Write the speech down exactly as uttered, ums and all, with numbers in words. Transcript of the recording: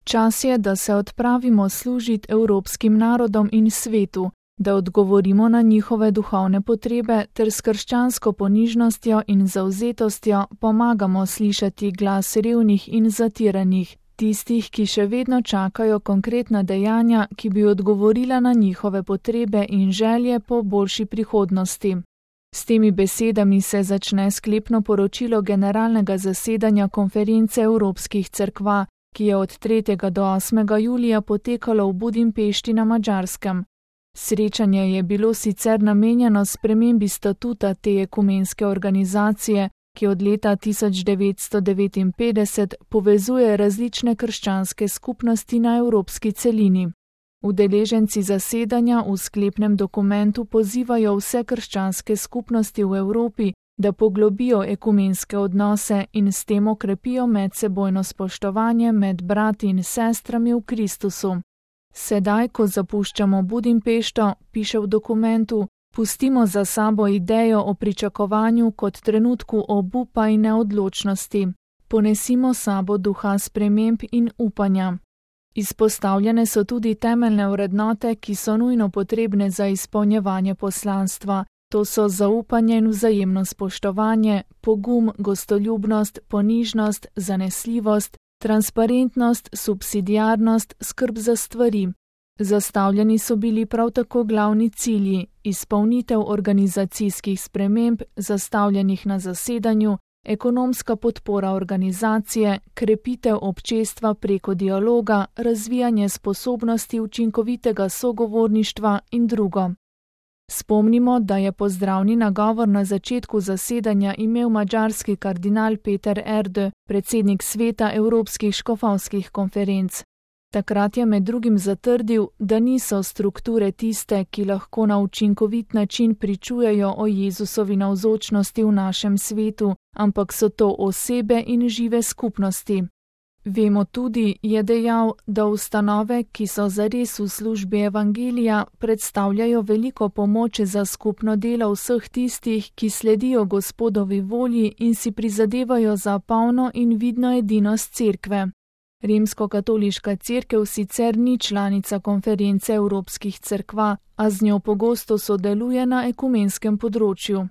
Čas je, da se odpravimo služiti evropskim narodom in svetu, da odgovorimo na njihove duhovne potrebe ter s krščansko ponižnostjo in zavzetostjo pomagamo slišati glas revnih in zatiranih, tistih, ki še vedno čakajo konkretna dejanja, ki bi odgovorila na njihove potrebe in želje po boljši prihodnosti. S temi besedami se začne sklepno poročilo generalnega zasedanja Konference evropskih cerkva, ki je od tretjega do osmega julija potekalo v Budimpešti na Madžarskem. Srečanje je bilo sicer namenjeno spremembi statuta te ekumenske organizacije, ki od leta tisoč devetsto devetinpetdeset povezuje različne krščanske skupnosti na evropski celini. Udeleženci zasedanja v sklepnem dokumentu pozivajo vse krščanske skupnosti v Evropi, da poglobijo ekumenske odnose in s tem okrepijo medsebojno spoštovanje med brati in sestrami v Kristusu. Sedaj, ko zapuščamo Budimpešto, piše v dokumentu, pustimo za sabo idejo o pričakovanju kot trenutku obupa in neodločnosti. Ponesimo sabo duha sprememb in upanja. Izpostavljene so tudi temeljne vrednote, ki so nujno potrebne za izpolnjevanje poslanstva. To so zaupanje in vzajemno spoštovanje, pogum, gostoljubnost, ponižnost, zanesljivost, transparentnost, subsidiarnost, skrb za stvari. Zastavljeni so bili prav tako glavni cilji, izpolnitev organizacijskih sprememb, zastavljenih na zasedanju, ekonomska podpora organizacije, krepitev občestva preko dialoga, razvijanje sposobnosti učinkovitega sogovorništva in drugo. Spomnimo, da je pozdravni nagovor na začetku zasedanja imel madžarski kardinal Peter Erdő, predsednik sveta Evropskih škofovskih konferenc. Takrat je med drugim zatrdil, da niso strukture tiste, ki lahko na učinkovit način pričujejo o Jezusovi navzočnosti v našem svetu, ampak so to osebe in žive skupnosti. Vemo tudi, je dejal, da ustanove, ki so zares v službi evangelija, predstavljajo veliko pomoč za skupno delo vseh tistih, ki sledijo Gospodovi volji in si prizadevajo za polno in vidno edinost cerkve. Rimskokatoliška cerkev sicer ni članica Konference evropskih cerkva, a z njo pogosto sodeluje na ekumenskem področju.